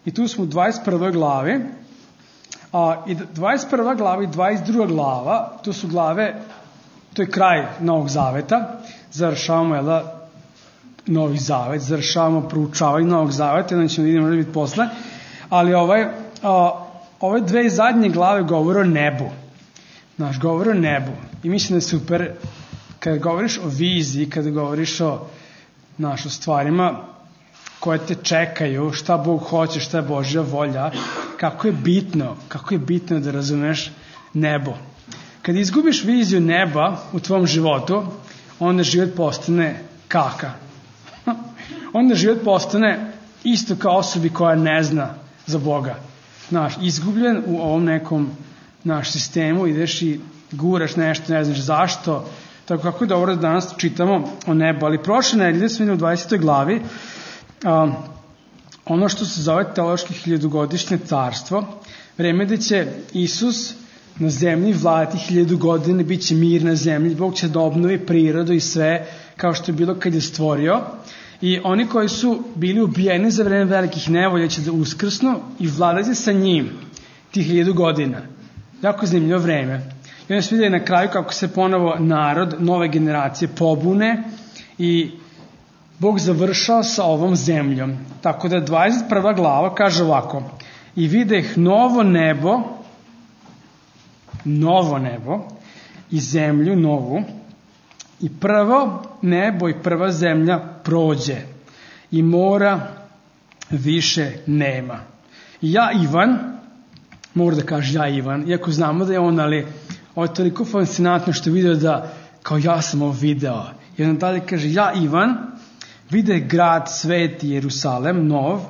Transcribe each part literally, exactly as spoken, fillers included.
I tu smo u dvadeset prvoj glavi. A, I dvadeset prva glava i dvadeset druga glava, to su glave, to je kraj Novog Zaveta. Završavamo, jel da, Novi Zavet, završavamo proučavanje Novog Zaveta, onda ćemo vidjeti, možda biti posle. Ali ovaj, a, ove dve zadnje glave govore o nebu. Znaš, govore o nebu. I mislim da je super, kada govoriš o viziji, kada govoriš o, znaš, o stvarima koje te čekaju, šta Bog hoće, šta je Božja volja, kako je bitno, kako je bitno da razumeš nebo. Kad izgubiš viziju neba u tvom životu, onda život postane kaka. Onda život postane isto kao osobi koja ne zna za Boga. Znaš, izgubljen u ovom nekom naš sistemu, ideš i guraš nešto, ne znaš zašto. Tako kako je dobro da danas čitamo o nebu. Ali prošle nedelje smo vidjeli u dvadesetoj glavi a, ono što se zove teološki hiljadugodišnje carstvo. Vreme gde će Isus na zemlji vladati hiljadu godina, bit će mir na zemlji, Bog će da obnovi prirodu i sve kao što je bilo kad je stvorio. I oni koji su bili ubijeni za vreme velikih nevolja će da uskrsnu i vladati sa njim tih hiljadu godina. Jako zanimljivo vreme. I onda se vidjeli na kraju kako se ponovo narod, nove generacije pobune i Bog završao sa ovom zemljom. Tako da dvadeset prva glava kaže ovako: i videh novo nebo, novo nebo i zemlju novu, i prvo nebo i prva zemlja prođe i mora više nema. I ja, Ivan, mora da kaže ja, Ivan, iako znamo da je on, ali ovo je toliko fascinantno što je video da kao ja sam ovo video. I on dalje kaže, ja, Ivan, vide grad sveti Jerusalem, nov,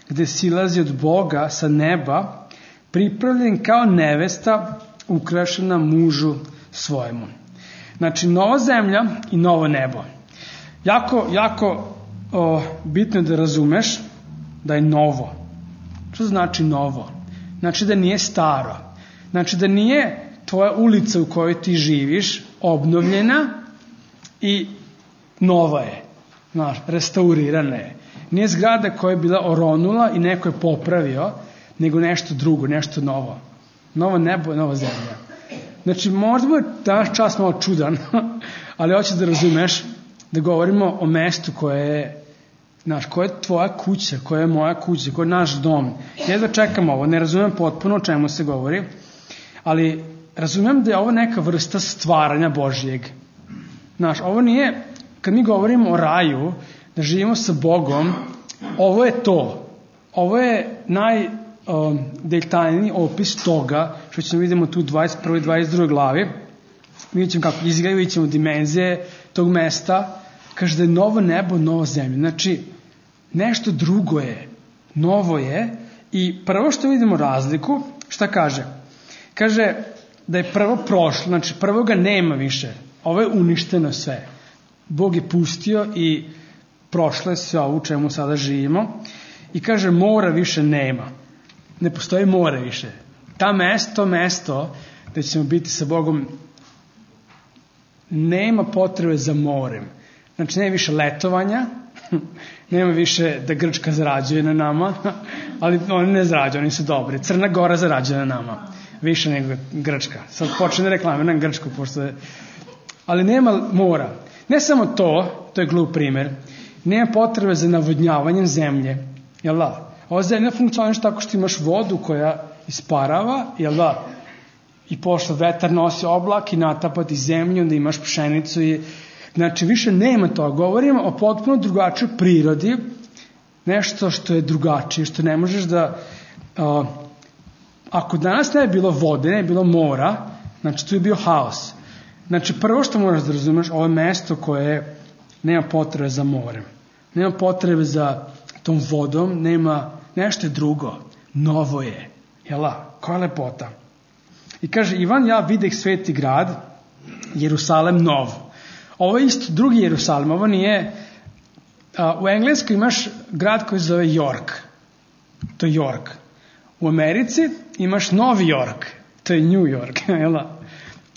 gde silazi od Boga sa neba, pripravljen kao nevesta ukrašena mužu svojemu. Znači, nova zemlja i novo nebo. Jako, jako o, bitno je da razumeš da je novo. Što znači novo? Znači da nije staro. Znači da nije tvoja ulica u kojoj ti živiš obnovljena i nova je. Znaš, restaurirana je. Nije zgrada koja je bila oronula i neko je popravio, nego nešto drugo, nešto novo. Novo nebo, nova zemlja. Znači, možda je danas čas malo čudan, ali hoćeš da razumeš da govorimo o mestu koje je, znaš, koja je tvoja kuća, koja je moja kuća, koja je naš dom. Ja da čekam ovo, ne razumem potpuno o čemu se govori, ali razumem da je ovo neka vrsta stvaranja Božijeg. Znaš, ovo nije, kad mi govorimo o raju, da živimo sa Bogom, ovo je to. Ovo je naj... Um, detaljni opis toga što ćemo vidimo tu u dvadeset prvoj i dvadeset drugoj glavi. Vidjet ćemo kako izgleda, vidjet ćemo dimenzije tog mesta. Kaže da je novo nebo, novo zemlje. Znači, nešto drugo je, novo je. I prvo što vidimo razliku, šta kaže? Kaže da je prvo prošlo, znači prvoga nema više. Ovo je uništeno sve. Bog je pustio i prošlo je sve ovo u čemu sada živimo. I kaže mora više nema. Ne postoji more više. Ta mesto, to mesto da ćemo biti sa Bogom, nema potrebe za morem. Znači, nema više letovanja, nema više da Grčka zarađuje na nama, ali oni ne zarađuju, oni su dobri. Crna Gora zarađuje na nama, više nego Grčka. Sad počne reklamiram Grčku, pošto je... Ali nema mora. Ne samo to, to je glup primer, nema potrebe za navodnjavanjem zemlje, jel da? Ova zemlja funkcioniše tako što imaš vodu koja isparava, jel da? I pošto vetar nosi oblak i natapati zemlju, onda imaš pšenicu i... Znači, više nema to. Govorimo o potpuno drugačoj prirodi, nešto što je drugačije, što ne možeš da... Uh, ako danas ne je bilo vode, ne je bilo mora, znači tu je bio haos. Znači, prvo što moraš da razumeš, ovo je mesto koje nema potrebe za morem. Nema potrebe za tom vodom, nema... Nešto je drugo, novo je, jela, koja lepota. I kaže, Ivan, ja videh sveti grad, Jerusalem nov. Ovo je isto drugi Jerusalem, ovo nije, a, u Engleskoj imaš grad koji se zove York, to je York. U Americi imaš Novi York, to je New York, jela.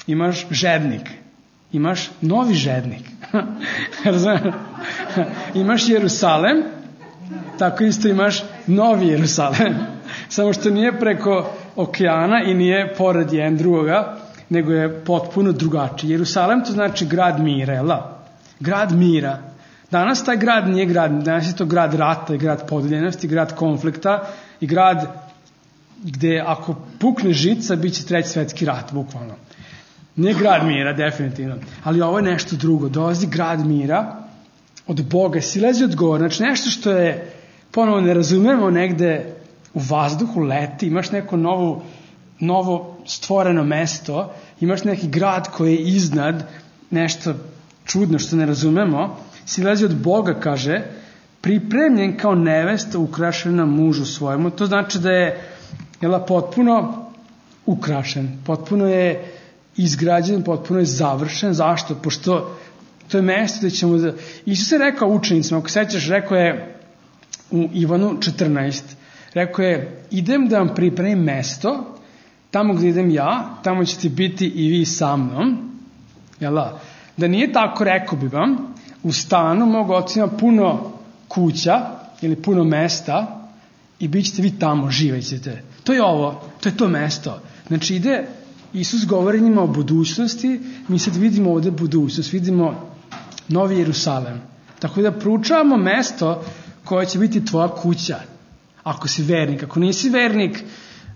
Imaš Žednik, imaš Novi Žednik. Imaš Jerusalem, Tako isto imaš Novi Jerusalem. Samo što nije preko okeana i nije pored jedan drugoga, nego je potpuno drugačiji. Jerusalem to znači grad mira, jel da? Grad mira. Danas taj grad nije grad, danas je to grad rata i grad podeljenosti, grad konflikta i grad gde ako pukne žica, bit će treći svetski rat, bukvalno. Nije grad mira, definitivno. Ali ovo je nešto drugo. Dolazi grad mira od Boga, silazi od gore. Znači nešto što je, ponovo ne razumemo, negde u vazduhu leti, imaš neko novo, novo stvoreno mesto, imaš neki grad koji je iznad, nešto čudno što ne razumemo, silazi od Boga, kaže, pripremljen kao nevesta ukrašena mužu svojemu. To znači da je jela, potpuno ukrašen, potpuno je izgrađen, potpuno je završen. Zašto? Pošto to je mesto gde ćemo da... Isus je rekao učenicima, ako sećaš, rekao je u Ivanu četrnaest, rekao je, idem da vam pripremim mesto, tamo gde idem ja, tamo ćete biti i vi sa mnom. Jela? Da nije tako, rekao bi vam, u stanu mog oca ima puno kuća ili puno mesta i bit ćete vi tamo, živećete. To je ovo, to je to mesto. Znači ide, Isus govori njima o budućnosti, mi sad vidimo ovde budućnost, vidimo Novi Jerusalem. Tako da proučavamo mesto koje će biti tvoja kuća. Ako si vernik, ako nisi vernik,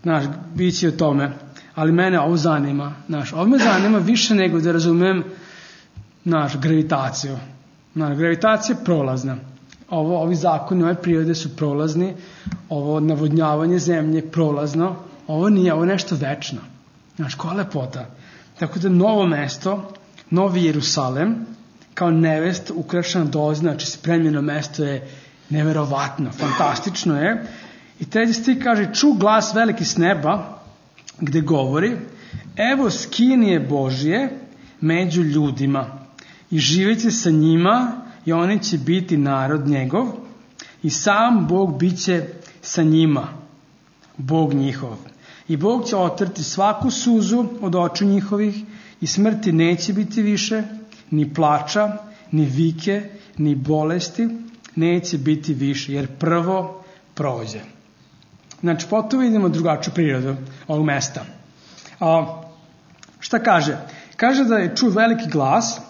znaš, bit će o tome. Ali mene ovo zanima, znaš, ovo me zanima više nego da razumem, znaš, gravitaciju. Znaš, gravitacija je prolazna. Ovo, ovi zakoni, ove prirode su prolazni, ovo navodnjavanje zemlje je prolazno, ovo nije, ovo je nešto večno. Znaš, koja lepota. Tako da novo mesto, Novi Jerusalem, kao nevest ukrašena dolazi, znači spremljeno mesto je neverovatno, fantastično je. I treći stih kaže, ču glas veliki s neba, gde govori, evo skinije Božje među ljudima i živeće sa njima i oni će biti narod njegov i sam Bog bit će sa njima, Bog njihov. I Bog će otrti svaku suzu od očiju njihovih i smrti neće biti više, ni plača, ni vike, ni bolesti, neće biti više, jer prvo prođe. Znači, potom vidimo drugačiju prirodu ovog mesta. A, šta kaže? Kaže da je čuo veliki glas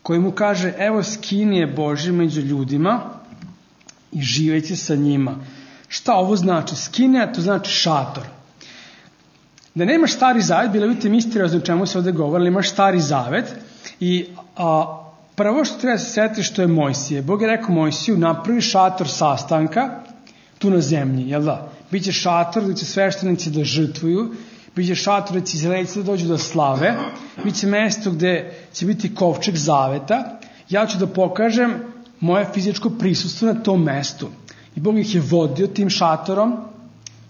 koji mu kaže, evo skinije Božje među ljudima i živeće sa njima. Šta ovo znači? Skinija, to znači šator. Da nemaš stari zavet, bilo vidite misteriozno o čemu se ovde govori, imaš stari zavet i a, prvo što treba se setiti što je Mojsije. Bog je rekao Mojsiju, napravi šator sastanka tu na zemlji, jel da? Biće šator gde će sveštenici da žrtvuju, biće šator gde će izraelci da dođu da slave, biće mesto gde će biti kovčeg zaveta. Ja ću da pokažem moje fizičko prisustvo na tom mestu. I Bog ih je vodio tim šatorom,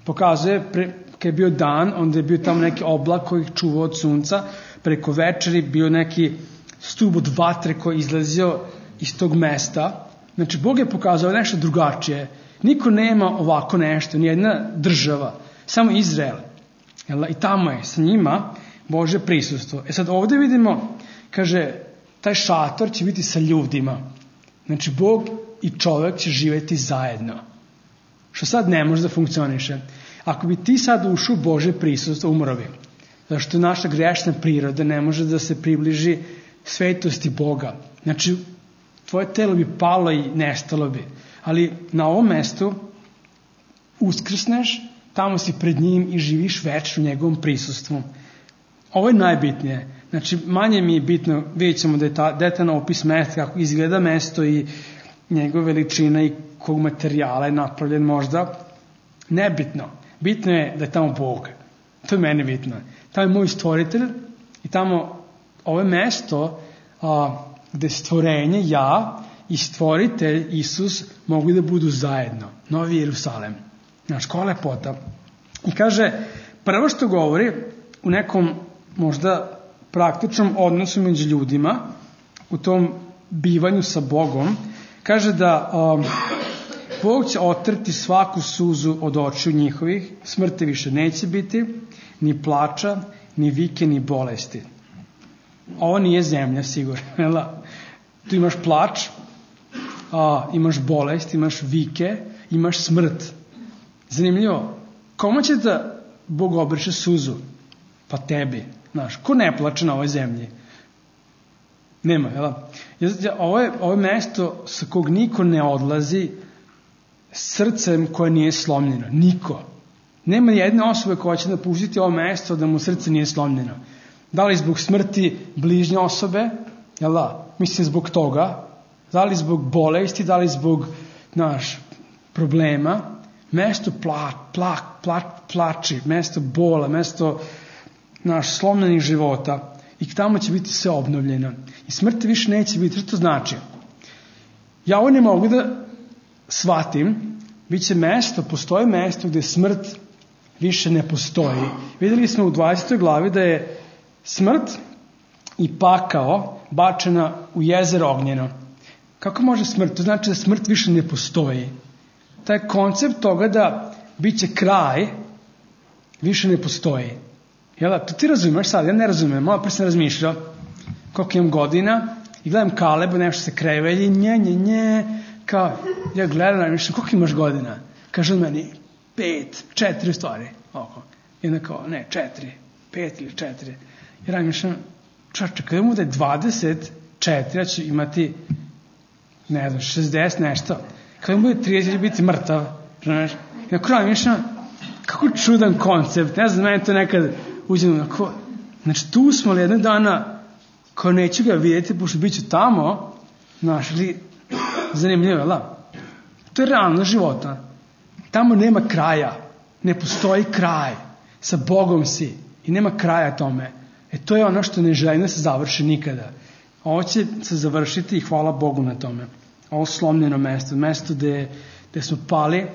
pokazuje, pre, kad je bio dan, onda je bio tamo neki oblak koji ih čuvao od sunca, preko večeri bio neki stub od vatre koji je izlazio iz tog mesta. Znači, Bog je pokazao nešto drugačije. Niko nema ovako nešto, nijedna država, samo Izrael. I tamo je sa njima Božje prisustvo. E sad ovde vidimo, kaže, taj šator će biti sa ljudima. Znači, Bog i čovek će živeti zajedno. Što sad ne može da funkcioniše. Ako bi ti sad ušao u Božje prisustvo, umro bi. Zašto naša grešna priroda ne može da se približi svetosti Boga. Znači, tvoje telo bi palo i nestalo bi. Ali na ovom mestu uskrsneš, tamo si pred njim i živiš večno u njegovom prisustvu. Ovo je najbitnije. Znači, manje mi je bitno, vidjet ćemo da je ta detaljno opis mesta, kako izgleda mesto i njegova veličina i kog materijala je napravljen možda. Nebitno. Bitno je da je tamo Bog. To je meni bitno. Tamo je moj stvoritelj i tamo ovo je mesto a, gde stvorenje, ja i stvoritelj Isus mogu da budu zajedno. Novi Jerusalem. Znaš, koja lepota. I kaže, prvo što govori u nekom možda praktičnom odnosu među ljudima, u tom bivanju sa Bogom, kaže da um, Bog će otrti svaku suzu od očiju njihovih, smrti više neće biti, ni plača, ni vike, ni bolesti. Ovo nije zemlja, sigurno. Tu imaš plač, a, imaš bolest, imaš vike, imaš smrt. Zanimljivo, kome će da Bog obriše suzu? Pa tebi, znaš, ko ne plače na ovoj zemlji? Nema, jel? Ovo je, ovo je mesto sa kog niko ne odlazi srcem koje nije slomljeno. Niko. Nema jedne osobe koja će napustiti ovo mesto da mu srce nije slomljeno. Da li zbog smrti bližnje osobe, jel da? Mislim zbog toga. Da li zbog bolesti, da li zbog, znaš, problema. Mesto pla, pla, pla, plači, mesto bola, mesto, znaš, slomljenih života. I tamo će biti sve obnovljeno. I smrti više neće biti. Što to znači? Ja ovo ne mogu da shvatim. Biće mesto, postoji mesto gde smrt više ne postoji. Videli smo u dvadesetoj glavi da je smrt i pakao bačena u jezero ognjeno. Kako može smrt? To znači da smrt više ne postoji. Taj koncept toga da biće kraj više ne postoji. Jel da? To ti razumeš sad? Ja ne razumem. Malo pre sam razmišljao koliko imam godina i gledam Kaleba, nešto se krevelji, nje, nje, nje. Kao, ja gledam, razmišljam, koliko imaš godina? Kaže on meni, pet, četiri stvari. Oko. I onda kao, ne, četiri, pet ili četiri. I razmišljam, čače, kada mu da je dvadeset četiri, ja ću imati, ne znam, šezdeset nešto. Kada mu bude trideset, će biti mrtav. Znaš? I na kraju razmišljam, kako čudan koncept. Ne znam, meni to nekad uđem, ako, znači tu smo li jednog dana, kao neću ga vidjeti, pošto bit ću tamo, znaš, ili zanimljivo, la? To je realno života. Tamo nema kraja. Ne postoji kraj. Sa Bogom si. I nema kraja tome. E to je ono što ne želim da se završi nikada. Ovo će se završiti i hvala Bogu na tome. Ovo slomljeno mesto. Mesto gde, gde smo pali,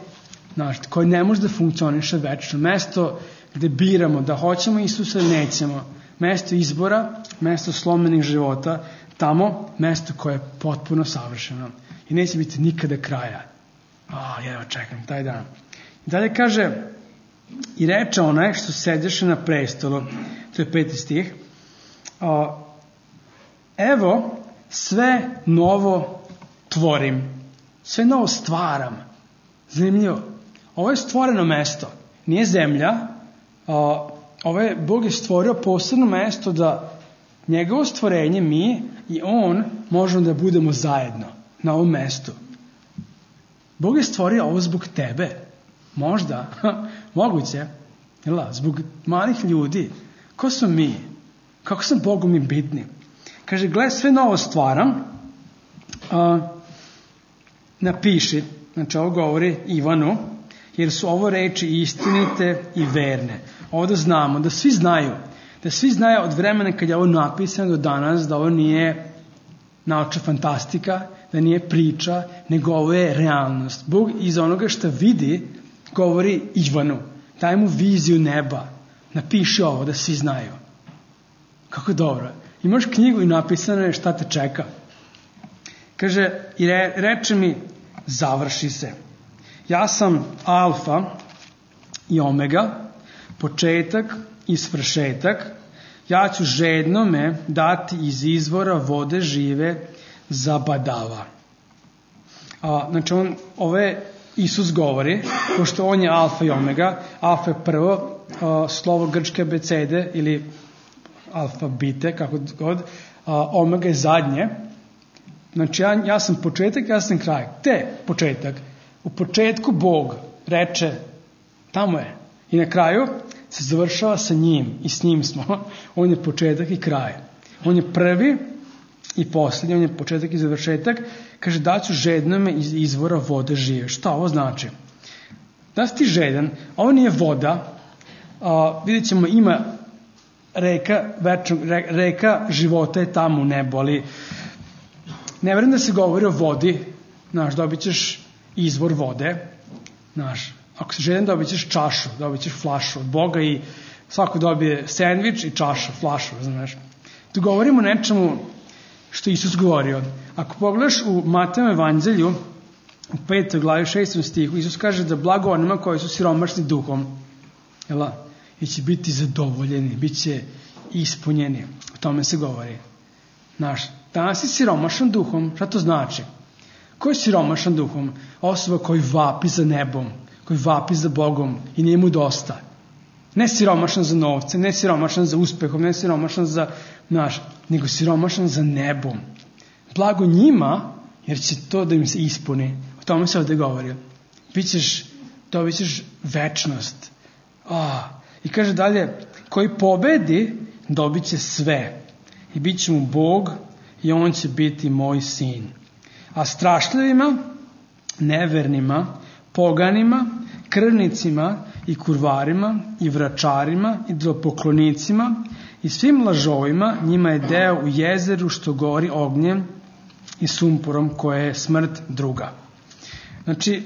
znaš, koje ne može da funkcioniše večno. Mesto gde biramo da hoćemo Isusa ili nećemo. Mesto izbora, mesto slomljenih života. Tamo mesto koje je potpuno savršeno. I neće biti nikada kraja. A, jedva čekam, taj dan. I dalje kaže, i reče onaj što sedeše na prestolu, to je peti stih, a, evo, sve novo tvorim, sve novo stvaram. Zanimljivo. Ovo je stvoreno mesto, nije zemlja, a, ovo je, Bog je stvorio posebno mesto da njegovo stvorenje, mi i on, možemo da budemo zajedno na ovom mestu. Bog je stvorio ovo zbog tebe. Možda. Moguće. Jela, zbog malih ljudi. Ko su mi? Kako sam Bogu mi bitni? Kaže, gledaj, sve novo stvaram. A, napiši. Znači, ovo govori Ivanu. Jer su ovo reči istinite i verne. Ovo da znamo, da svi znaju. Da svi znaju od vremena kad je ovo napisano do danas, da ovo nije naučna fantastika, da nije priča, nego ovo je realnost. Bog iz onoga što vidi govori Ivanu. Daj mu viziju neba. Napiši ovo da svi znaju. Kako dobro. Imaš knjigu i napisano je šta te čeka. Kaže, i re, reče mi, završi se. Ja sam alfa i omega, početak i svršetak. Ja ću žednome dati iz izvora vode žive zabadava. A, znači, on, ove Isus govori, pošto on je alfa i omega. Alfa je prvo a, slovo grčke abecede ili alfabite, kako god. A, omega je zadnje. Znači, ja, ja sam početak, ja sam kraj. Te početak. U početku Bog reče, tamo je. I na kraju se završava sa njim i s njim smo. On je početak i kraj. On je prvi i posljednji, on je početak i završetak. Kaže, daću žednome iz izvora vode žive. Šta ovo znači? Da si ti žedan, ovo nije voda. A, vidjet ćemo, ima reka, večnog, reka života je tamo u nebu, ali ne verujem da se govori o vodi. Znaš, dobit ćeš izvor vode. Znaš, ako si žedan, dobit ćeš čašu, dobit ćeš flašu od Boga i svako dobije sendvič i čašu, flašu, znaš. Tu govorimo o nečemu što Isus govorio. Ako pogledaš u Matejevom evanđelju, u petoj glavi šestom stihu, Isus kaže da blago onima koji su siromašni duhom, jela, i će biti zadovoljeni, bit će ispunjeni. O tome se govori. Znaš, danas si siromašan duhom, šta to znači? Ko je siromašan duhom? Osoba koji vapi za nebom, koji vapi za Bogom i nije mu dosta. Ne siromašan za novce, ne siromašan za uspehom, ne siromašan za naš, nego siromašan za nebom. Blago njima, jer će to da im se ispuni. O tome se ovde govori. Bićeš, dobit ćeš večnost. Oh. I kaže dalje, koji pobedi, dobit će sve. I bit će mu Bog i on će biti moj sin. A strašljivima, nevernima, poganima, krvnicima i kurvarima i vračarima i idolopoklonicima i svim lažovima njima je deo u jezeru što gori ognjem i sumporom koje je smrt druga. Znači,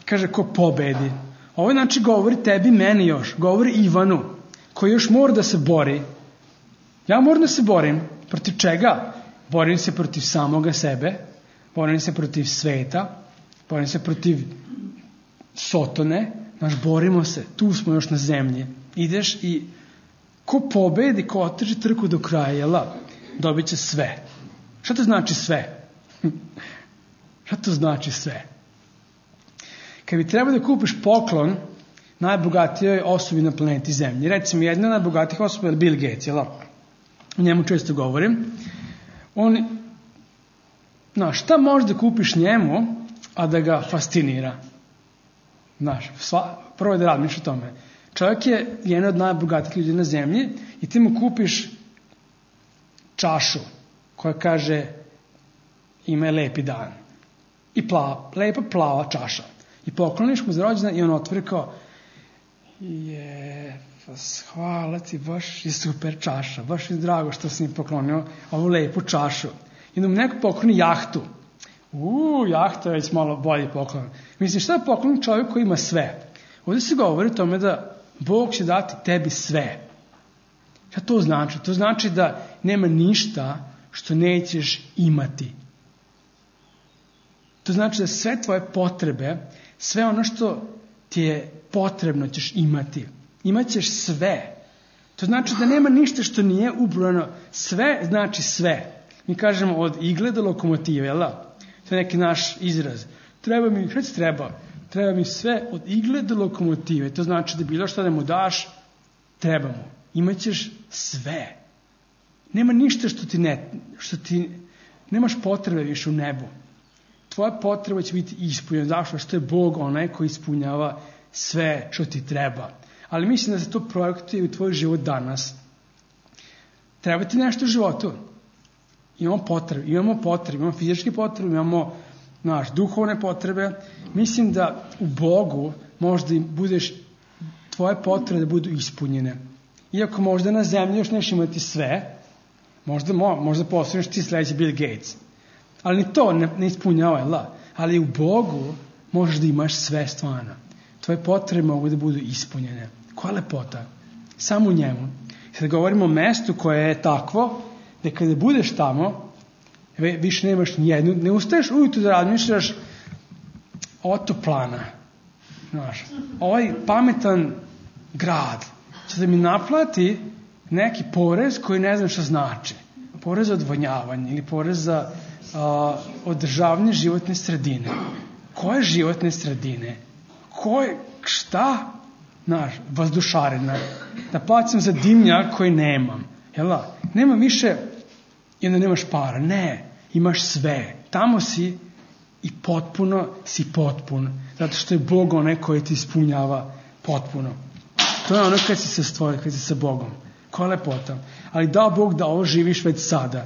kaže ko pobedi. Ovo znači govori tebi, meni još, govori Ivanu, koji još mora da se bori. Ja moram da se borim. Protiv čega? Borim se protiv samoga sebe, borim se protiv sveta, borim se protiv Sotone, znaš, borimo se, tu smo još na zemlji. Ideš i ko pobedi, ko otrži trku do kraja, jela, dobit će sve. Šta to znači sve? Šta to znači sve? Kad bi trebao da kupiš poklon najbogatijoj osobi na planeti Zemlji, recimo jedna od najbogatijih osoba je Bill Gates, jel? O njemu često govorim. On, znaš, šta možeš da kupiš njemu, a da ga fascinira? Znaš, sva, prvo je da razmišljaš o tome. Čovjek je jedan od najbogatijih ljudi na Zemlji i ti mu kupiš čašu koja kaže ima je lepi dan. I plava, lepa plava čaša. I pokloniš mu za rođendan i on otvori kao je, hvala ti, baš je super čaša, baš je drago što si mi poklonio ovu lepu čašu. I onda mu neko pokloni jahtu. Uuu, jahta je već malo bolji poklon. Mislim, šta je poklon čovjek koji ima sve? Ovdje se govori o tome da Bog će dati tebi sve. Šta to znači? To znači da nema ništa što nećeš imati. To znači da sve tvoje potrebe, sve ono što ti je potrebno ćeš imati. Imaćeš sve. To znači da nema ništa što nije ubrojano. Sve znači sve. Mi kažemo od igle do lokomotive, jel da? To je neki naš izraz. Treba mi, šta ti treba? Treba mi sve od igle do lokomotive. To znači da bilo što da mu daš, treba mu. Imaćeš sve. Nema ništa što ti ne, što ti, nemaš potrebe više u nebu. Tvoja potreba će biti ispunjena. Zašto? Što je Bog onaj koji ispunjava sve što ti treba. Ali mislim da se to projektuje u tvoj život danas. Treba ti nešto u životu. Imamo potrebe, imamo potrebe, imamo fizičke potrebe, imamo naš, duhovne potrebe. Mislim da u Bogu možda budeš, tvoje potrebe da budu ispunjene. Iako možda na zemlji još neš imati sve, možda, možda postaneš ti sledeći Bill Gates. Ali ni to ne, ne ispunjava, la. Ali u Bogu možeš da imaš sve stvarno. Tvoje potrebe mogu da budu ispunjene. Koja lepota? Samo u njemu. Sad govorimo o mestu koje je takvo, da kada budeš tamo, više nemaš nijednu, ne ustaješ ujutru da razmišljaš otoplana. Znaš, ovaj pametan grad će da mi naplati neki porez koji ne znam šta znači. Porez za odvodnjavanje ili porez za a, održavanje životne sredine. Koje životne sredine? Koje, šta? Znaš, vazdušarina. Da plaćam za dimnjak koji nemam. Jel' nema više i onda nemaš para. Ne, imaš sve. Tamo si i potpuno si potpun. Zato što je Bog onaj koji ti ispunjava potpuno. To je ono kad si se stvorio, kad si sa Bogom. Koja lepota. Ali dao Bog da ovo živiš već sada.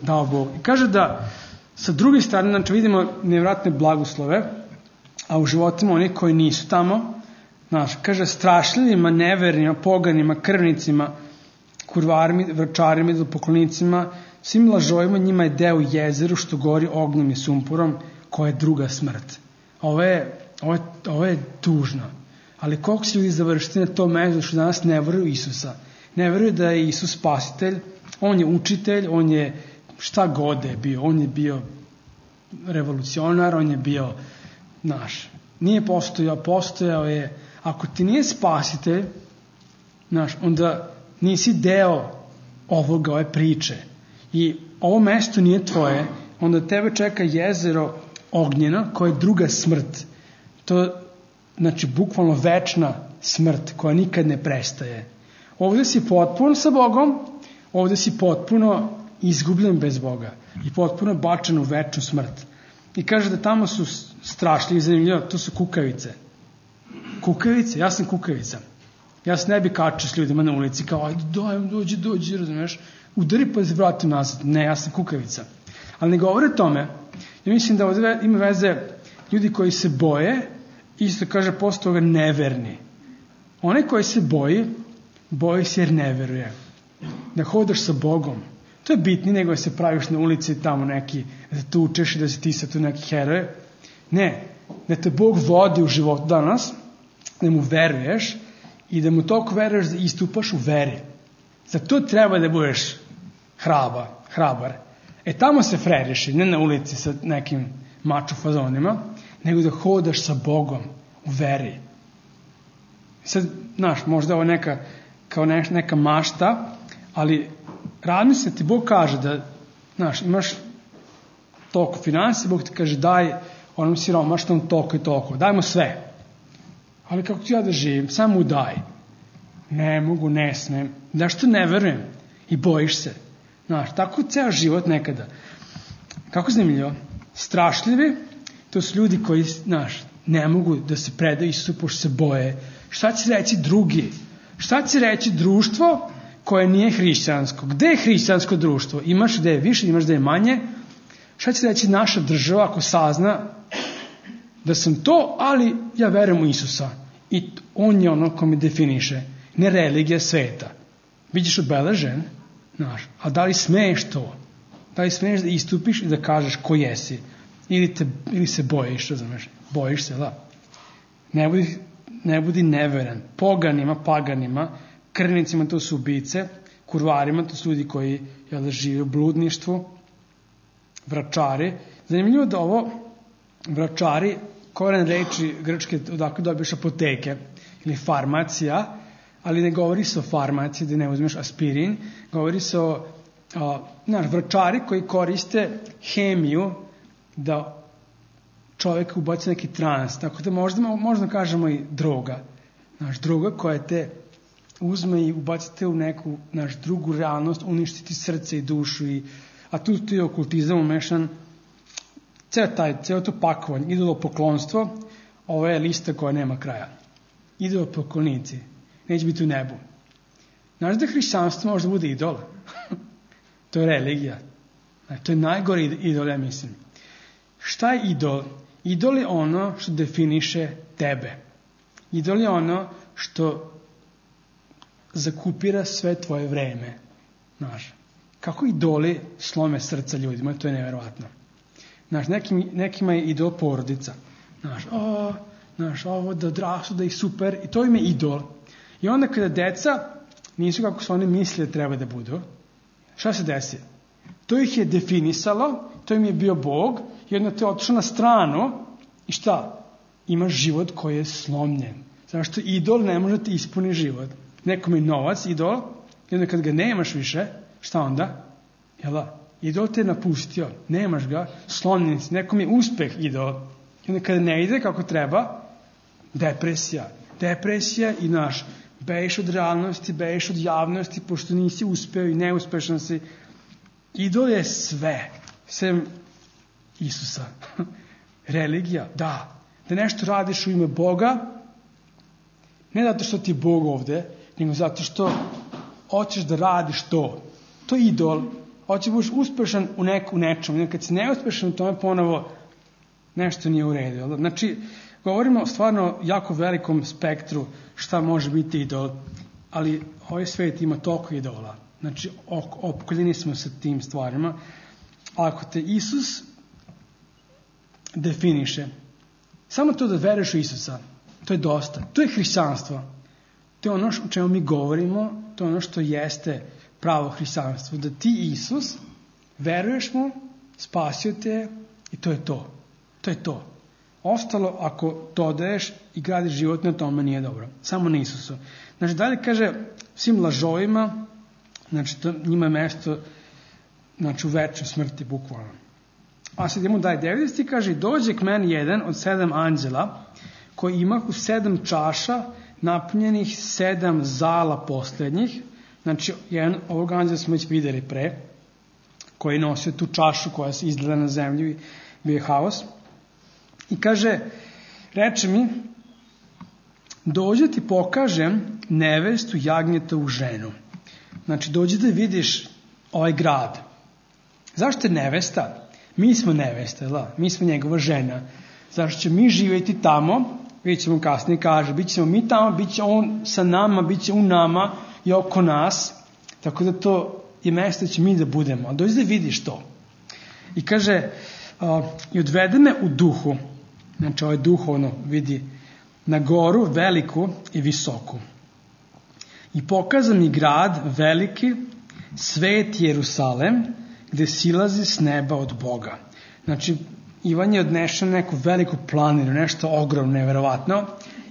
Dao Bog. I kaže da sa druge strane, znači vidimo nevratne blagoslove, a u životima oni koji nisu tamo, znaš, kaže strašljivima, nevernima, poganima, krvnicima, kurvarima, vračarima, idolopoklonicima, svim lažovima njima je deo u jezeru što gori ognjem i sumporom, koja je druga smrt. Ovo je, ovo je, ovo je tužno. Ali koliko se ljudi završiti na to mesto što danas ne veruju Isusa. Ne veruju da je Isus spasitelj, on je učitelj, on je šta god je bio. On je bio revolucionar, on je bio naš. Nije postojao, postojao je. Ako ti nije spasitelj, naš, onda nisi deo ovoga, ove priče. I ovo mesto nije tvoje, onda tebe čeka jezero ognjena, koja je druga smrt. To znači bukvalno večna smrt koja nikad ne prestaje. Ovdje si potpuno sa Bogom, ovdje si potpuno izgubljen bez Boga i potpuno bačen u večnu smrt. I kaže da tamo su strašljivi, zanimljivo, to su kukavice. Kukavice, ja sam kukavica. Ja se ne bi kačio s ljudima na ulici kao, ajde, daj, dođi, dođi, razumiješ, udari pa se vratim nazad. Ne, ja sam kukavica. Ali ne govore o tome. Ja mislim da ovdje ima veze ljudi koji se boje, isto kaže posle toga neverni. Onaj koji se boji, boji se jer ne veruje. Da hodaš sa Bogom. To je bitnije nego da se praviš na ulici tamo neki, da te učeš i da si ti sa tu neki heroje. Ne, da te Bog vodi u životu danas, da mu veruješ i da mu toliko veruješ da istupaš u veri. Za to treba da budeš hraba, hrabar. E tamo se freriši, ne na ulici sa nekim mačo fazonima, nego da hodaš sa Bogom u veri. Sad, znaš, možda ovo neka, kao neka mašta, ali razmisli ti Bog kaže da, znaš, imaš toliko financije, Bog ti kaže daj onom siromašnom toliko i toliko, daj mu sve. Ali kako ću ja da živim, samo mu daj. Ne mogu, ne smem. Zašto ne verujem? I bojiš se. Znaš, tako ceo život nekada. Kako zanimljivo? Strašljivi, to su ljudi koji, znaš, ne mogu da se predaju Isusu pošto se boje. Šta će reći drugi? Šta će reći društvo koje nije hrišćansko? Gde je hrišćansko društvo? Imaš gde je više, imaš gde je manje. Šta će reći naša država ako sazna da sam to, ali ja verujem u Isusa. I on je ono ko me definiše. Ne religija sveta. Bićeš obeležen, znaš, a da li smeješ to? Da li smeješ da istupiš i da kažeš ko jesi? Ili, te, ili se bojiš, razumeš? Bojiš se, da. Ne budi, ne budi neveran. Poganima, paganima, krvnicima to su ubice, kurvarima to su ljudi koji jel, žive u bludništvu, vračari. Zanimljivo da ovo vračari, koren reči grčke, odakle dobiješ apoteke ili farmacija, ali ne govori se o farmaciji da ne uzmeš aspirin, govori se o a, naš, vračari koji koriste hemiju da čovjek ubaci neki trans, tako da možda, možda kažemo i droga. Naš droga koja te uzme i ubacite u neku naš drugu realnost, uništiti srce i dušu, i, a tu ti je okultizam umešan, ceo taj, ceo to pakovanje, idolopoklonstvo, ovo je lista koja nema kraja. Idolopoklonici, neće biti u nebu. Znaš da hrišćanstvo može da bude idol? To je religija. Znači, to je najgori idol, ja mislim. Šta je idol? Idol je ono što definiše tebe. Idol je ono što zakupira sve tvoje vreme. Znaš, kako idoli slome srca ljudima, to je neverovatno. Znaš, nekim, nekima je idol porodica. Znaš, o, znaš, ovo da odrastu, da ih super, i to im je idol. I onda kada deca nisu kako su oni misle treba da budu, šta se desi? To ih je definisalo, to im je bio Bog, i onda te otišao na stranu i šta? Imaš život koji je slomljen. Zato što idol ne može ti ispuni život. Nekom je novac, idol, i onda kad ga nemaš više, šta onda? Jel da? Idol te je napustio, nemaš ga, slomljen si. Nekom je uspeh idol. I onda kada ne ide kako treba, depresija. Depresija i naš, beješ od realnosti, beješ od javnosti, pošto nisi uspeo i neuspešan si. Idol je sve, sem Isusa. Religija, da. Da nešto radiš u ime Boga, ne zato što ti je Bog ovde, nego zato što hoćeš da radiš to. To je idol. Hoćeš da budeš uspešan u, nek, u nečemu. Kad si neuspešan u tome, ponovo nešto nije u redu. Znači, govorimo stvarno o jako velikom spektru šta može biti idol, ali ovaj svet ima toliko idola. Znači, opkoljeni smo sa tim stvarima. Ako te Isus definiše, samo to da veruješ u Isusa, to je dosta. To je hrišćanstvo. To je ono o čemu mi govorimo, to je ono što jeste pravo hrišćanstvo. Da ti, Isus, veruješ mu, spasio te i to je to. To je to. Ostalo, ako dodaješ i gradiš život na tome, nije dobro. Samo na Isusu. Znači, dalje kaže svim lažovima, znači, to, njima je mesto, znači, u večnoj smrti, bukvalno. A sad idemo dalje, devetdeseti kaže, dođe k meni jedan od sedam anđela koji imahu sedam čaša napunjenih sedam zala posljednjih. Znači, jedan ovog anđela smo već videli pre, koji je nosio tu čašu koja se izgleda na zemlju i bio je haos. I kaže, reče mi, dođe ti pokažem nevestu jagnjetovu ženu. Znači, dođe da vidiš ovaj grad. Zašto je nevesta? Mi smo nevesta, da? Mi smo njegova žena. Zašto će mi živjeti tamo, vidjet ćemo kasnije kaže, bit ćemo mi tamo, bit će on sa nama, bit će u nama i oko nas, tako da to je mesto da će mi da budemo. A dođe da vidiš to. I kaže, uh, i odvede me u duhu, znači ovaj duhovno vidi, na goru veliku i visoku. I pokaza mi grad veliki, svet Jerusalem, gde silazi s neba od Boga. Znači, Ivan je odnešao neku veliku planinu, nešto ogromno, neverovatno,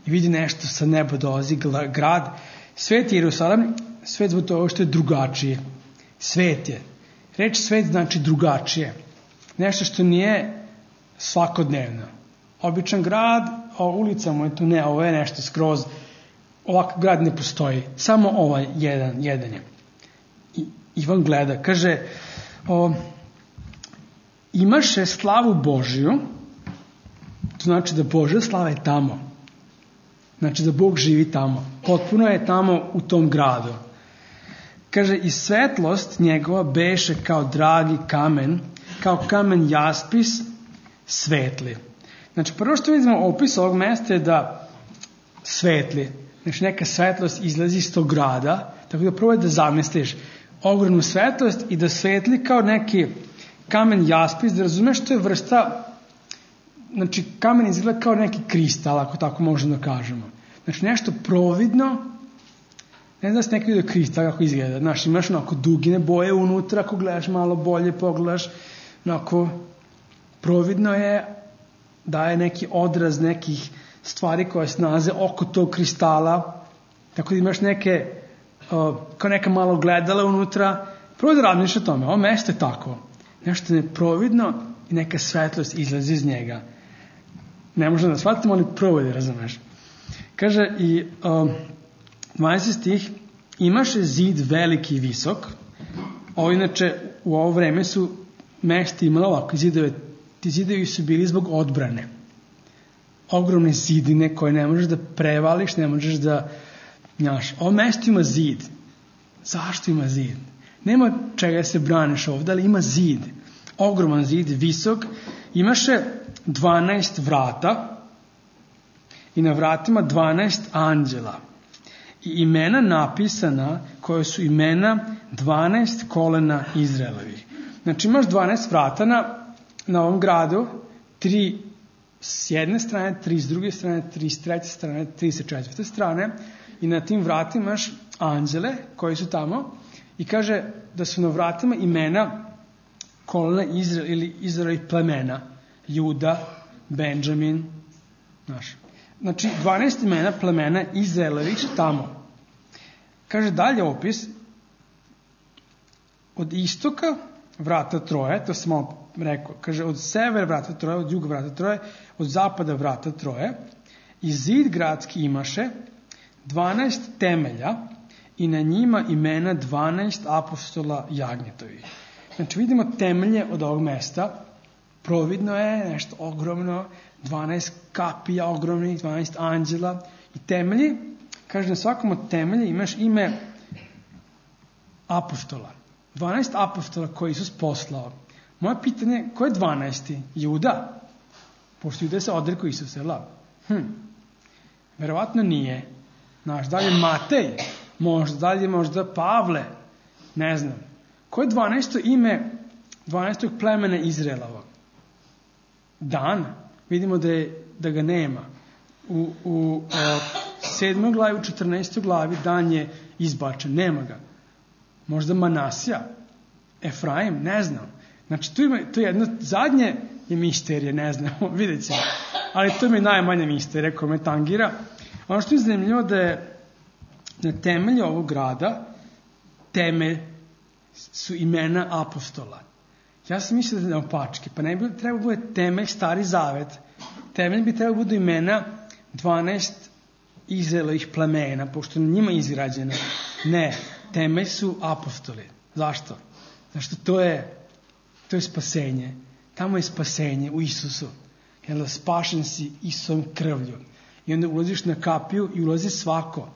i vidi nešto sa neba dolazi, grad. Svet Jerusalem, svet zbog toga što je drugačije. Svet je. Reč svet znači drugačije. Nešto što nije svakodnevno. Običan grad, a ulica mu je tu ne, ovo je nešto skroz, ovakav grad ne postoji. Samo ovaj jedan, jedan je. I Ivan gleda, kaže, o, imaše slavu Božiju, to znači da Božja slava je tamo. Znači da Bog živi tamo. Potpuno je tamo u tom gradu. Kaže, i svetlost njegova beše kao dragi kamen, kao kamen jaspis svetli. Znači, prvo što vidimo opis ovog mesta je da svetli. Znači, neka svetlost izlazi iz tog grada, tako da probaj da zamisliš ogromnu svetlost i da svetli kao neki kamen jaspis, da razumeš što je vrsta, znači kamen izgleda kao neki kristal, ako tako možemo da kažemo. Znači nešto providno, ne znam da se neki vidio kristal kako izgleda, znači imaš onako dugine boje unutra, ako gledaš malo bolje, pogledaš, onako providno je, daje neki odraz nekih stvari koje se nalaze oko tog kristala, tako da imaš neke, uh, kao neka malo gledala unutra, prvo da razmišljaš o tome, ovo mesto je tako. Nešto neprovidno i neka svetlost izlazi iz njega. Ne možemo da shvatimo, ali provodi, razumeš. Kaže i um, dvanaesti stih, imaše zid veliki i visok. Ovo inače u ovo vreme su mesta imala ovako zidove. Ti zidovi su bili zbog odbrane. Ogromne zidine koje ne možeš da prevališ, ne možeš da, znaš, ovo mesto ima zid. Zašto ima zid? Nema čega se braniš ovdje, ali ima zid. Ogroman zid, visok. Imaše dvanaest vrata i na vratima dvanaest anđela. I imena napisana koje su imena dvanaest kolena Izraelovih. Znači imaš dvanaest vrata na, na ovom gradu, tri s jedne strane, tri s druge strane, tri s treće strane, tri sa četvrte strane i na tim vratima imaš anđele koji su tamo. I kaže da su na vratima imena kolena Izrael ili Izraelovih plemena. Juda, Benjamin, znaš. Znači, dvanaest imena plemena Izraelovih su tamo. Kaže dalje opis, od istoka vrata troje, to sam malo rekao, kaže od severa vrata troje, od juga vrata troje, od zapada vrata troje, i zid gradski imaše dvanaest temelja, i na njima imena dvanaest apostola jagnjetovih. Znači vidimo temelje od ovog mesta, providno je nešto ogromno, dvanaest kapija ogromnih, dvanaest anđela i temelji, kaže na svakom od temelja imaš ime apostola. dvanaest apostola koji Isus poslao. Moje pitanje, ko je dvanaesti? Juda? Pošto Juda se odrekao Isusa, je la? Hm. Verovatno nije. Znaš, da li je Matej? Možda, da li je možda Pavle? Ne znam. Ko je dvanaesto ime dvanaestog plemena Izraelova? Dan. Vidimo da, je, da ga nema. U, u sedmoj glavi, u četrnaestoj glavi Dan je izbačen. Nema ga. Možda Manasija? Efraim? Ne znam. Znači, tu ima, to je jedno, zadnje je misterije, ne znamo, vidjet ćemo. Ali to mi je najmanja misterija koja me tangira. Ono što je zanimljivo da je na temelju ovog grada temelj su imena apostola. Ja sam mislio da je naopačke, pa ne bi trebalo bude temelj Stari Zavet. Temelj bi trebalo budu imena dvanaest Izraelovih plemena, pošto je njima izgrađeno. Ne, temelj su apostoli. Zašto? Zašto to je, to je spasenje. Tamo je spasenje u Isusu. Jer spašen si Isusom krvlju. I onda ulaziš na kapiju i ulazi svako.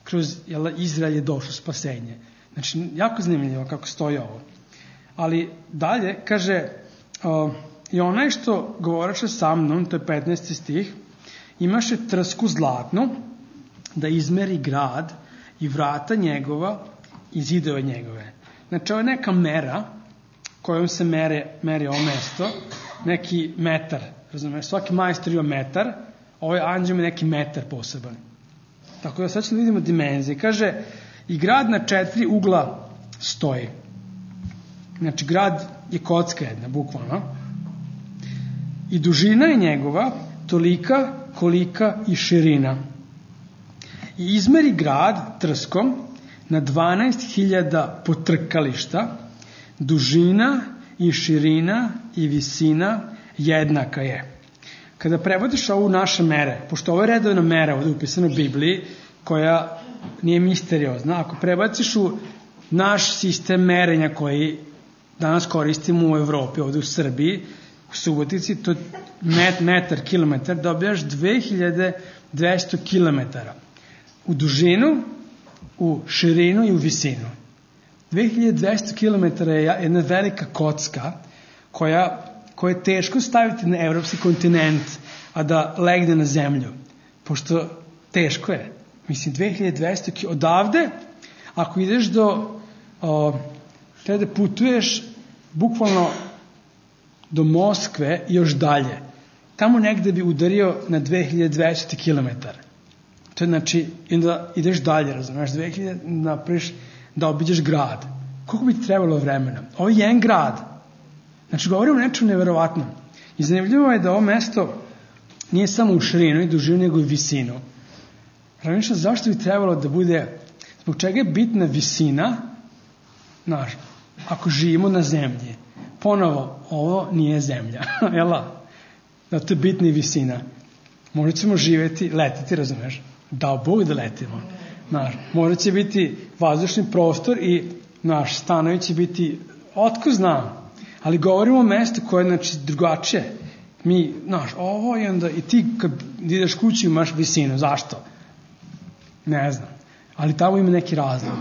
Kroz jel, Izrael je došlo spasenje. Znači, jako zanimljivo kako stoji ovo. Ali dalje, kaže, o, i onaj što govoreše sa mnom, to je petnaesti stih, imaše trsku zlatnu da izmeri grad i vrata njegova i zidove njegove. Znači, ovo je neka mera kojom se mere, meri ovo mesto, neki metar, razumiješ, svaki majstor ima metar, ovaj anđel ima neki metar poseban. Tako da sad ćemo vidimo dimenzije. Kaže, i grad na četiri ugla stoji. Znači, grad je kocka jedna, bukvalno. I dužina je njegova tolika kolika i širina. I izmeri grad trskom na dvanaest hiljada potrkališta, dužina i širina i visina jednaka je. Kada prevodiš ovu naše mere, pošto ovo je redovna mera ovdje upisana u Bibliji, koja nije misteriozna, ako prebaciš u naš sistem merenja koji danas koristimo u Evropi, ovdje u Srbiji, u Subotici, to je met, metar, kilometar, dobijaš dve hiljade dvesta kilometara. U dužinu, u širinu i u visinu. dve hiljade dvesta kilometara je jedna velika kocka koja, koja je teško staviti na evropski kontinent, a da legne na zemlju. Pošto teško je. Mislim, dve hiljade dvesta kilometara. Odavde, ako ideš do, o, treba da putuješ bukvalno do Moskve i još dalje. Tamo negde bi udario na dve hiljade dvesta kilometara. To je znači, onda ideš dalje, razumiješ, dve hiljade napriš da obiđeš grad. Koliko bi ti trebalo vremena? Ovo je jedan grad. Znači, govorimo o nečem neverovatnom. I zanimljivo je da ovo mesto nije samo u širinu i dužinu, nego i visinu. Razmišljam, zašto bi trebalo da bude, zbog čega je bitna visina, znaš, ako živimo na zemlji. Ponovo, ovo nije zemlja, jela? Da to je bitna i visina. Možda ćemo živjeti, letiti, razumeš? Dao Bog da letimo. Znaš, možda će biti vazdušni prostor i naš stanovi će biti, otko znam, ali govorimo o mestu koje je znači, drugačije. Mi, znaš, ovo i onda i ti kad ideš kući imaš visinu. Zašto? Ne znam. Ali tamo ima neki razlog.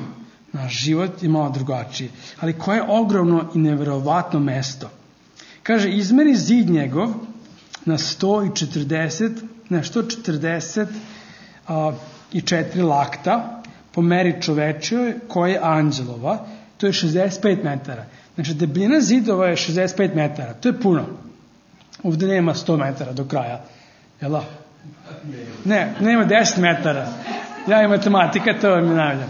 Naš život je malo drugačiji. Ali koje je ogromno i neverovatno mesto. Kaže, izmeri zid njegov na sto četrdeset, ne, sto četrdeset a, i četiri lakta po meri čovečoj koja je anđelova. To je šezdeset pet metara. Znači, debljina zidova je šezdeset pet metara. To je puno. Ovdje nema sto metara do kraja. Jel da? Ne, nema deset metara. Ja i matematika, to vam je najavljam.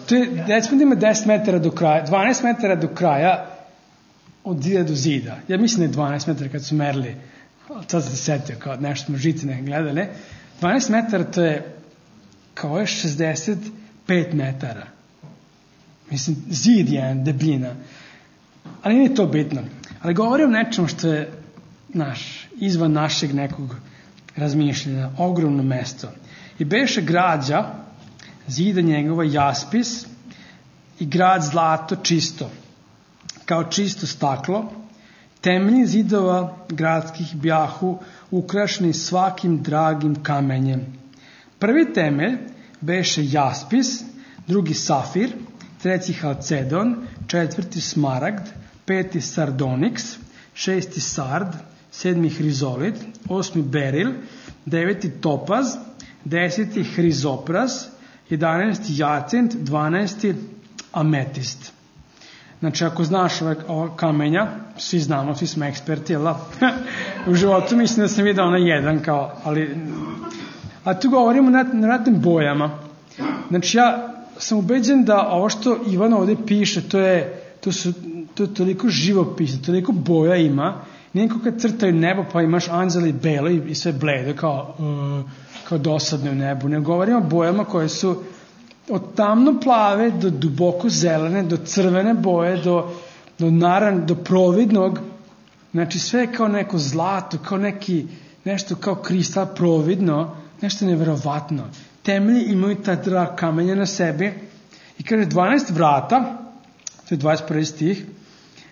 To je, recimo da ima deset metara do kraja, dvanaest metara do kraja od zida do zida. Ja mislim da je dvanaest metara kad su merili, sad sam se setio, kao nešto smo žicine gledali. dvanaest metara to je kao je šezdeset pet metara. Mislim, zid je debljina. Ali nije to bitno. Ali govorim o nečemu što je naš, izvan našeg nekog razmišljanja, ogromno mesto. I beše građa, zida njegova jaspis i grad zlato čisto, kao čisto staklo, temelji zidova gradskih bjahu ukrašeni svakim dragim kamenjem. Prvi temelj beše jaspis, drugi safir, treći halcedon, četvrti smaragd, peti sardoniks, šesti sard, sedmi hrizolit, osmi beril, deveti topaz, deseti hrizopras, jedanaesti jacint, dvanaesti ametist. Znači, ako znaš ove, ove kamenja, svi znamo, svi smo eksperti, jel da? U životu mislim da sam vidio ono jedan, kao, ali... A tu govorimo na, na ratnim bojama. Znači, ja sam ubeđen da ovo što Ivan ovdje piše, to je, to su, to je toliko živopisno, toliko boja ima. Nijekom kad crtaju nebo, pa imaš anđeli belo i sve bledo, kao, uh, kao dosadne u nebu. Ne govorimo o bojama koje su od tamno plave do duboko zelene, do crvene boje, do, do naran, do providnog, znači sve kao neko zlato, kao neki, nešto kao kristal providno, nešto neverovatno. Temelji imaju ta dva kamenja na sebi i kaže dvanaest vrata, to je dvadeset prvi stih,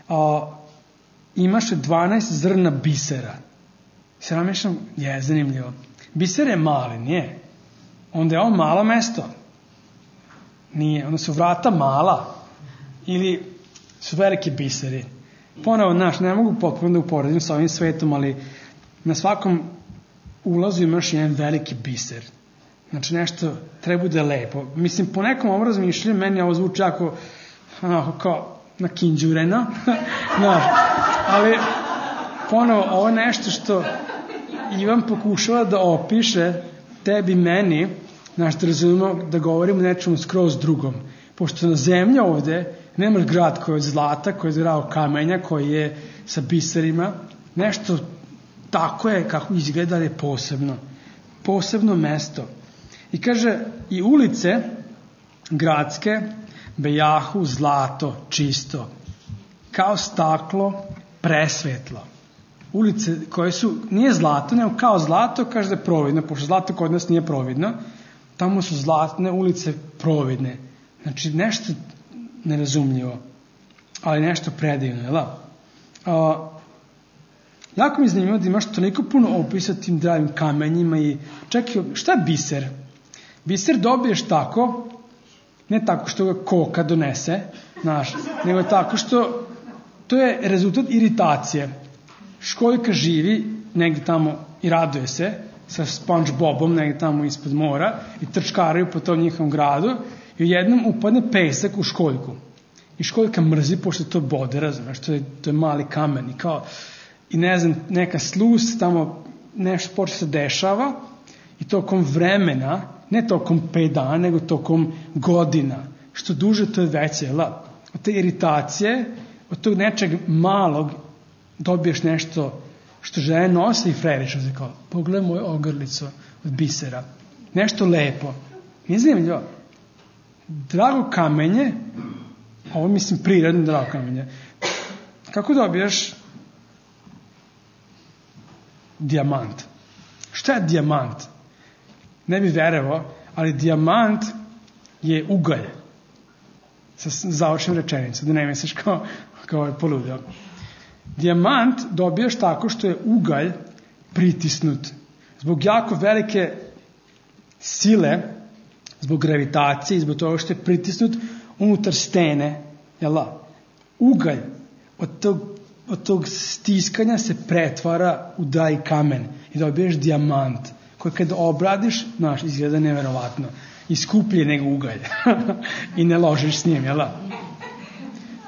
a, imaše dvanaest zrna bisera. Se namješam, je zanimljivo. Biser je mali, nije? Onda je on malo mesto. Nije, onda su vrata mala ili su veliki biseri. Ponovo, znaš, ne mogu potpuno da uporedim sa ovim svetom, ali na svakom ulazu imaš jedan veliki biser. Znači nešto treba da je lepo. Mislim, po nekom ovom razmišljanju meni ovo zvuči jako onako kao nakinđureno. Znaš, ali ponovo, ovo je nešto što Ivan pokušava da opiše tebi, meni, znaš, da razumemo da govorimo nečemu skroz drugom. Pošto na zemlji ovde nemaš grad koji je od zlata, koji je od grao kamenja, koji je sa biserima. Nešto tako je kako izgleda, je posebno. Posebno mesto. I kaže, i ulice gradske bejahu zlato čisto, kao staklo presvetlo. Ulice koje su, nije zlato, nego kao zlato, kaže da je providno, pošto zlato kod nas nije providno, tamo su zlatne ulice providne. Znači, nešto nerazumljivo, ali nešto predivno, jel da? A, jako mi je zanimljivo da imaš toliko puno opisa tim dragim kamenjima i čekaj, šta je biser? Biser dobiješ tako, ne tako što ga koka donese, znaš, nego tako što to je rezultat iritacije. Školjka živi negdje tamo i raduje se sa SpongeBobom negdje tamo ispod mora i trčkaraju po tom njihovom gradu i u jednom upadne pesak u školjku. I školjka mrzi pošto to bode, razumiješ, to je, to je mali kamen i kao, i ne znam, neka sluz tamo nešto počne se dešava i tokom vremena, ne tokom pet dana, nego tokom godina. Što duže, to je veće, jel? Od te iritacije, od tog nečeg malog dobiješ nešto što žene nose i freriče, kao, pogledaj moju ogrlicu od bisera. Nešto lepo. Nije zanimljivo. Drago kamenje, ovo mislim prirodno drago kamenje, kako dobiješ dijamant? Šta je dijamant? Ne bi verovao, ali dijamant je ugalj. Sa završenom rečenicom, da ne misliš kao, kao je poludio. Dijamant dobijaš tako što je ugalj pritisnut. Zbog jako velike sile, zbog gravitacije, zbog toga što je pritisnut unutar stene, jel' ugalj od tog, od tog stiskanja se pretvara u dragi kamen i dobiješ dijamant koji kada obradiš, znaš, izgleda neverovatno i skuplje nego ugalj i ne ložiš s njim, jel'?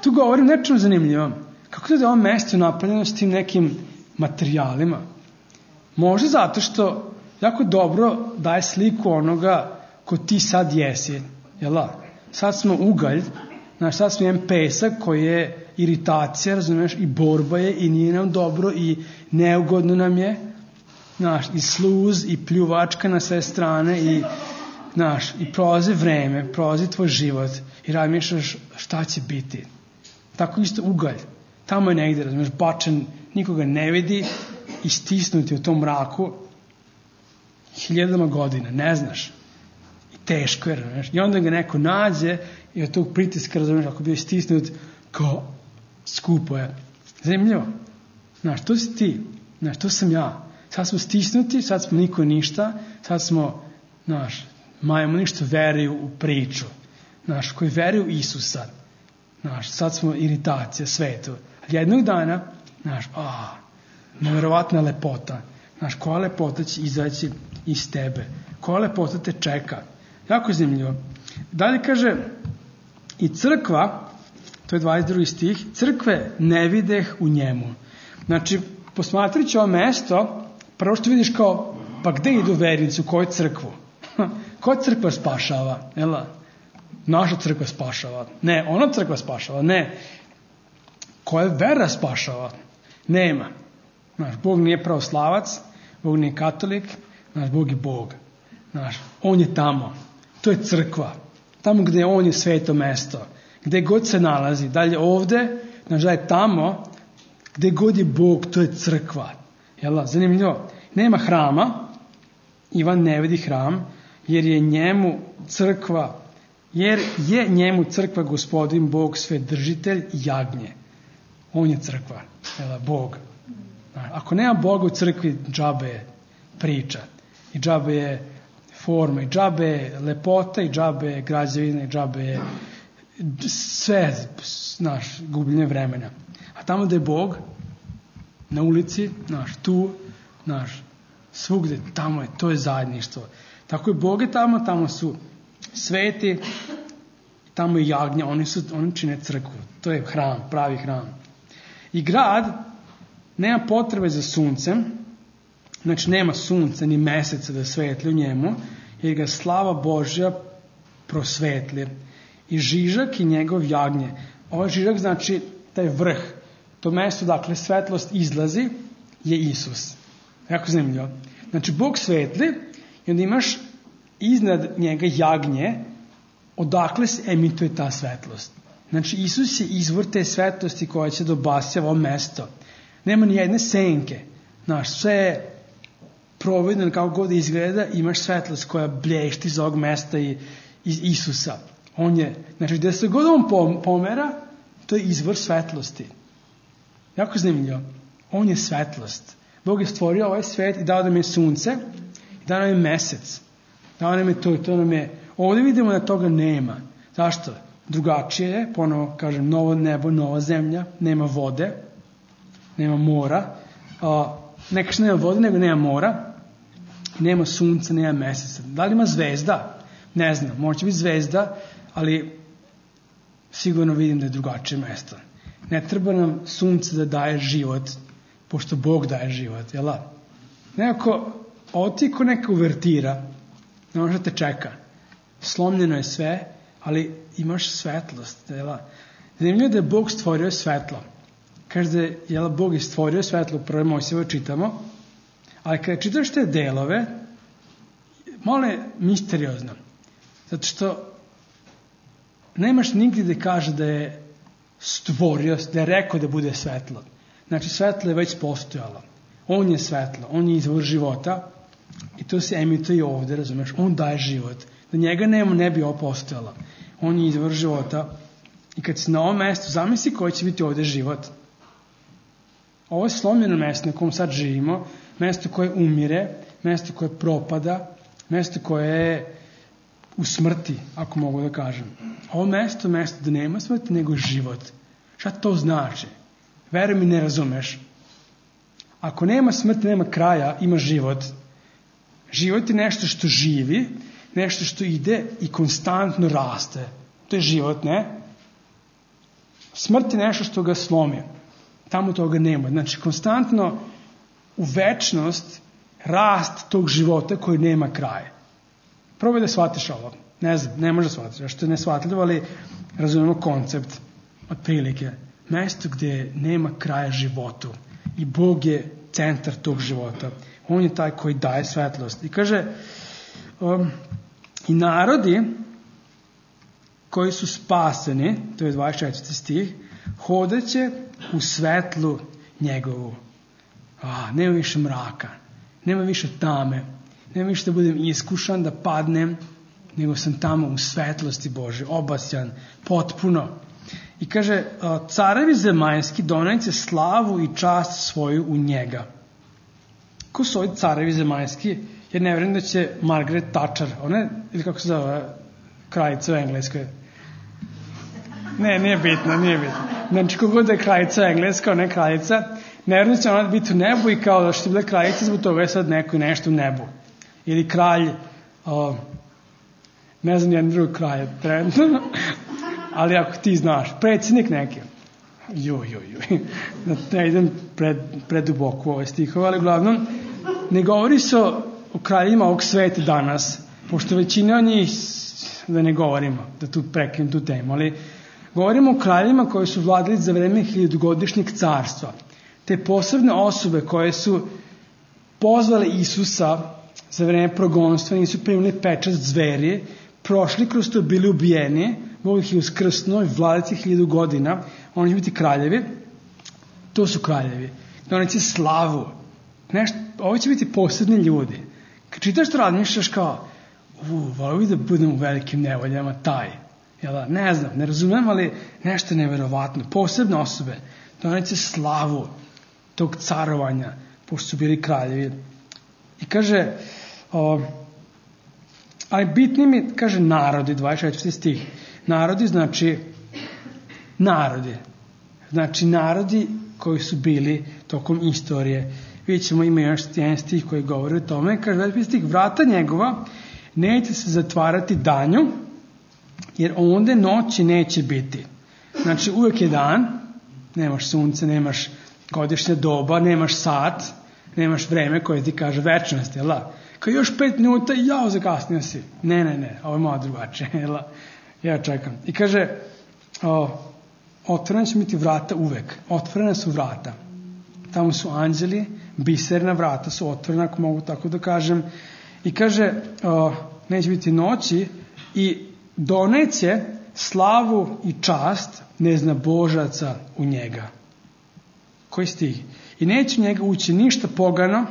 Tu govorim nečemu zanimljivom. Kako to da je ovo mesto napravljeno s tim nekim materijalima? Možda zato što jako dobro daje sliku onoga ko ti sad jesi, jel'? Sad smo ugalj, znaš, sad smo jedan pesak koji je iritacija, razumiješ, i borba je i nije nam dobro i neugodno nam je, znaš, i sluz i pljuvačka na sve strane i, znaš, i prolazi vreme, prolazi tvoj život i razmišljaš šta će biti. Tako isto ugalj. Tamo je negdje, razumiješ, bačen, nikoga ne vidi i stisnuti u tom mraku hiljadama godina, ne znaš. I teško je, razumiješ. I onda ga neko nađe i od tog pritiska, razumiješ, ako bi stisnut, kao skupo je. Zanimljivo. Znaš, to si ti. Znaš, to sam ja. Sad smo stisnuti, sad smo niko ništa, sad smo, znaš, majemo ništa veruju u priču. Znaš, koji veruju u Isusa. Znaš, sad smo iritacija svetu. Jednog dana, znaš, a, nevjerovatna lepota. Znaš, koja lepota će izaći iz tebe. Koja lepota te čeka. Jako je zanimljivo. Dalje kaže, i crkva, to je dvadeset drugi stih, crkve ne videh u njemu. Znači, posmatrajući ovo mesto, prvo što vidiš kao, pa gde idu vernici, u koju crkvu? Koja crkva spašava? Jel' naša crkva spašava? Ne, ona crkva spašava? Ne. Koja vera spašava? Nema. Znaš, Bog nije pravoslavac, Bog nije katolik, znaš, Bog je Bog. Znaš, on je tamo. To je crkva. Tamo gde on je sveto mesto. Gde god se nalazi. Dalje ovde, Znači da je tamo gde god je Bog, to je crkva. Jel, zanimljivo. Nema hrama, Ivan ne vidi hram, jer je njemu crkva, jer je njemu crkva Gospodin Bog Svedržitelj i jagnje. On je crkva, jel, Bog. Ako nema Boga u crkvi, džabe je priča. I džabe je forma, i džabe je lepota, i džabe je građevina, i džabe je sve, znaš, gubljenje vremena. A tamo da je Bog, na ulici, znaš, tu, znaš, svugde, tamo je, to je zajedništvo. Tako je Bog je tamo, tamo su sveti, tamo je jagnja, oni, su, oni čine crkvu. To je hram, pravi hram. I grad nema potrebe za suncem, znači nema sunca ni meseca da svetli u njemu, jer ga slava Božja prosvetli. I žižak i njegov jagnje. Ovaj žižak znači taj vrh, to mesto dakle svetlost izlazi je Isus. Jako zanimljivo. Znači Bog svetli i onda imaš iznad njega jagnje odakle se emituje ta svetlost. Znači Isus je izvor te svetlosti koja će da obasja ovo mesto. Nema ni jedne senke. Znaš, sve je providno kako god izgleda, imaš svetlost koja blješti iz ovog mesta i iz Isusa. On je, znači gde se god on pomera, to je izvor svetlosti. Jako zanimljivo. On je svetlost. Bog je stvorio ovaj svet i dao nam je sunce, i dao nam je mesec. Dao nam je to i to nam je... Ovdje vidimo da toga nema. Zašto? Drugačije je, ponovo kažem, novo nebo, nova zemlja, nema vode, nema mora, a, neka što nema vode, nego nema mora, nema sunca, nema meseca. Da li ima zvezda? Ne znam, možda će biti zvezda, ali sigurno vidim da je drugačije mesto. Ne treba nam sunce da daje život, pošto Bog daje život, jel da? Nekako, ovo ti ko neka uvertira, ne može da te čeka. Slomljeno je sve, ali imaš svetlost, jel da? Zanimljivo da je Bog stvorio svetlo. Kaže da je, jel, Bog je stvorio svetlo, prvo Mojsijevo čitamo, ali kada čitaš te delove, malo je misteriozno. Zato što nemaš nigdje da kaže da je stvorio, da je rekao da bude svetlo. Znači svetlo je već postojalo. On je svetlo, on je izvor života i to se emituje i ovdje, razumeš? On daje život. Da njega nema, ne bi ovo postojalo. On je izvor života i kad si na ovom mjestu, zamisli koji će biti ovdje život. Ovo je slomljeno mjesto na kom sad živimo, mjesto koje umire, mjesto koje propada, mjesto koje je u smrti, ako mogu da kažem. Ovo mjesto, mjesto da nema smrti, nego život. Šta to znači? Veruj mi, ne razumeš. Ako nema smrti, nema kraja, ima život. Život je nešto što živi, nešto što ide i konstantno raste. To je život, ne? Smrt je nešto što ga slomi. Tamo toga nema. Znači, konstantno u večnost rast tog života koji nema kraja. Probaj da shvatiš ovo. Ne znam, ne može da shvatiš. Što je neshvatljivo, ali razumemo koncept otprilike. Mesto gdje nema kraja životu. I Bog je centar tog života. On je taj koji daje svetlost. I kaže, um, i narodi koji su spaseni, to je dvadeset četvrti stih, hodeće u svetlu njegovu. A, nema više mraka, nema više tame, nema više da budem iskušan, da padnem, nego sam tamo u svetlosti Bože, obasjan, potpuno. I kaže, carevi zemaljski doneće slavu i čast svoju u njega. Ko su ovi carevi zemaljski? Jer ne vjerujem da će Margaret Thatcher, ona, ili kako se zove, kraljica u Engleskoj. Ne, nije bitno, nije bitno. Znači, kogod da je kraljica engleska, ona je kraljica, ne vjerujem da će ona biti u nebu i kao da što je bila kraljica, zbog toga je sad neko nešto u nebu. Ili kralj, o, ne znam jedan drugi kralj, trenutno, ali ako ti znaš, predsjednik neki. Joj, joj, joj. Ne idem pred, preduboko u ove stihove, ali uglavnom, ne govori se o, o kraljima ovog sveta danas, pošto većina od njih, da ne govorimo, da tu prekinem tu temu, ali govorimo o kraljima koji su vladali za vreme hiljadugodišnjeg carstva. Te posebne osobe koje su pozvale Isusa za vreme progonstva, nisu primili pečat zveri, prošli kroz to, bili ubijeni, Bog ih je uskrsnuo i vladaće hiljadu godina, oni će biti kraljevi, to su kraljevi, doneće slavu, nešto, ovo će biti posebni ljudi. Kad čitaš to razmišljaš kao, u, volio bi da budem u velikim nevoljama, taj, jel da, ne znam, ne razumem, ali nešto neverovatno, posebne osobe, doneće slavu tog carovanja, pošto su bili kraljevi. I kaže, o, ali bitni mi, kaže, narodi, dvadeset četvrti stih, narodi znači narodi, znači narodi koji su bili tokom istorije. Vidjet ćemo, ima još jedan stih koji govori o tome, kaže, dvadeset peti stih, vrata njegova neće se zatvarati danju, jer onda noći neće biti. Znači, uvek je dan, nemaš sunce, nemaš godišnje doba, nemaš sat, nemaš vreme koje ti kaže večnost, jel da? Kao još pet minuta, jao, zakasnio si. Ne, ne, ne, ovo je malo drugačije, jel da? Ja čekam. I kaže, o, otvorene će biti vrata uvek. Otvorene su vrata. Tamo su anđeli, biserna vrata su otvorena, ako mogu tako da kažem. I kaže, o, neće biti noći i doneće slavu i čast neznabožaca u njega. Koji stih? I neće u njega ući ništa pogano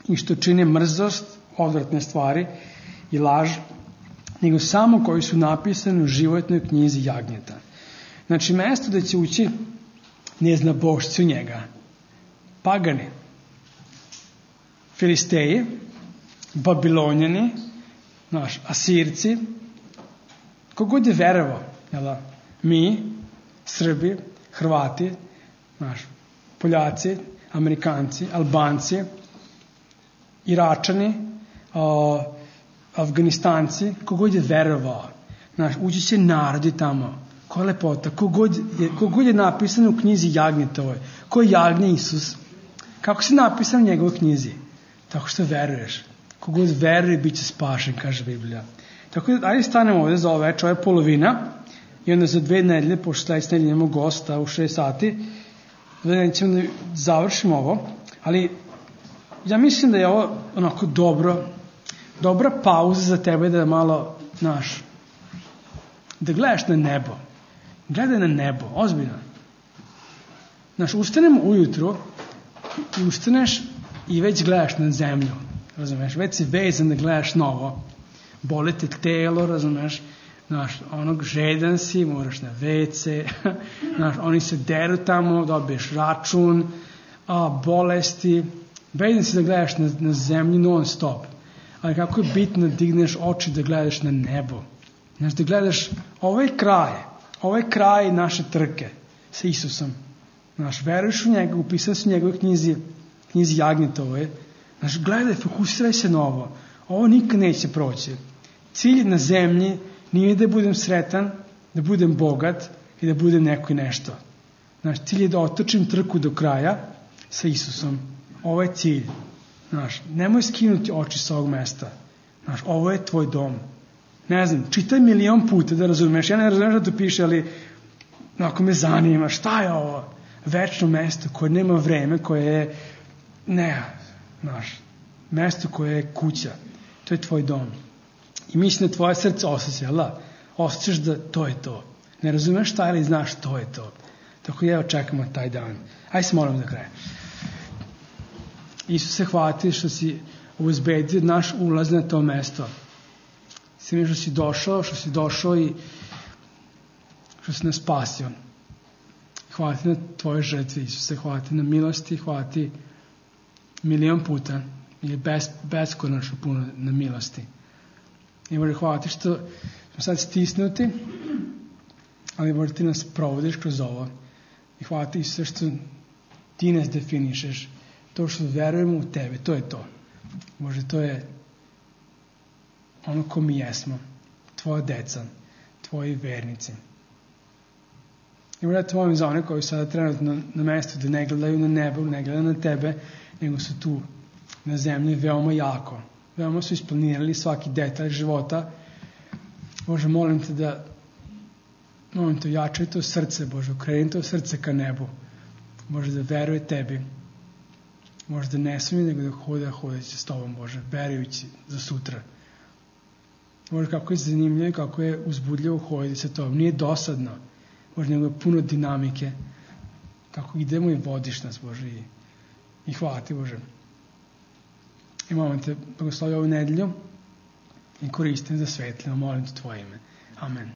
i što čine mrzost, odvratne stvari i laž, nego samo koji su napisani u životnoj knjizi jagnjeta. Znači, mesto da će ući neznabošci u njega. Pagani, Filisteji, Babilonjani, naš, Asirci, kogod je verovao, jel, mi, Srbi, Hrvati, naš, Poljaci, Amerikanci, Albanci, Iračani, o, Afganistanci, kogod je verovao. Znaš, ući će narodi tamo. Koja lepota. Kogod je, kogod je napisan u knjizi Jagnjetovoj. Ko je jagnje Isus? Kako se napisan u njegovoj knjizi? Tako što veruješ. Kogod veruje, bit će spašen, kaže Biblija. Tako da, ajde stanemo ovdje za ovo večer, ovo je polovina. I onda za dve nedelje, pošto sledeće nedelje imamo gosta u šest sati, da ćemo da završimo ovo. Ali ja mislim da je ovo onako dobro, dobra pauza za tebe da malo, znaš, da gledaš na nebo. Gledaj na nebo, ozbiljno. Znaš, ustanemo ujutru i ustaneš i već gledaš na zemlju, razumeš, već si vezan da gledaš novo. Boli te telo, razumeš, znaš, onog žedan si, moraš na ve ce, znaš, oni se deru tamo, dobiješ račun, a, bolesti, vezan si da gledaš na, na zemlju non stop. Ali kako je bitno da digneš oči da gledaš na nebo. Znaš, da gledaš ovaj kraj, ovaj kraj naše trke sa Isusom. Znaš, veruješ u njega, upisan si u njegovoj knjizi, knjizi Jagnjetove. Znaš, gledaj, fokusiraj se na ovo. Ovo nikad neće proći. Cilj na zemlji nije da budem sretan, da budem bogat i da budem neko i nešto. Znaš, cilj je da otočim trku do kraja sa Isusom. Ovo je cilj. Znaš, nemoj skinuti oči sa ovog mesta. Znaš, ovo je tvoj dom. Ne znam, čitaj milion puta da razumeš. Ja ne razumeš da to piše, ali ako me zanima, šta je ovo? Večno mesto koje nema vreme, koje je, ne, znaš, mesto koje je kuća. To je tvoj dom. I mislim da tvoje srce osjeća, jel da? Osjećaš da to je to. Ne razumeš šta, ali znaš to je to. Tako da evo čekamo taj dan. Ajde se molim da kraje. Isuse, hvala ti što si obezbedio naš ulaz na to mesto. Svime što si došao, što si došao i što si nas spasio. Hvala ti na tvoje žrtve, Isuse, hvala ti na milosti, hvala ti milion puta ili bes, beskonačno puno na milosti. I Bože, hvala ti što smo sad stisnuti, ali Bože, ti nas provodiš kroz ovo. I hvala ti sve što ti nas definišeš. To što verujemo u tebe, to je to. Bože, to je ono ko mi jesmo. Tvoja deca, tvoji vernici. I Bože, ja te molim za one koji sada trenutno na, na mestu da ne gledaju na nebo, ne gledaju na tebe, nego su tu na zemlji veoma jako. Veoma su isplanirali svaki detalj života. Bože, molim te da molim te, jačaj to srce, Bože, okreni to srce ka nebu. Bože, da veruje tebi. Bože, da ne smije nego da hoda hodeći s tobom, Bože, verujući za sutra. Bože, kako je zanimljivo, kako je uzbudljivo hoditi sa tobom. Nije dosadno. Bože, nego je puno dinamike. Kako idemo i vodiš nas, Bože. I, i hvala ti, Bože. I molim te, blagoslovi ovu nedelju i koristim za svetlino. Molim te tvoje ime. Amen.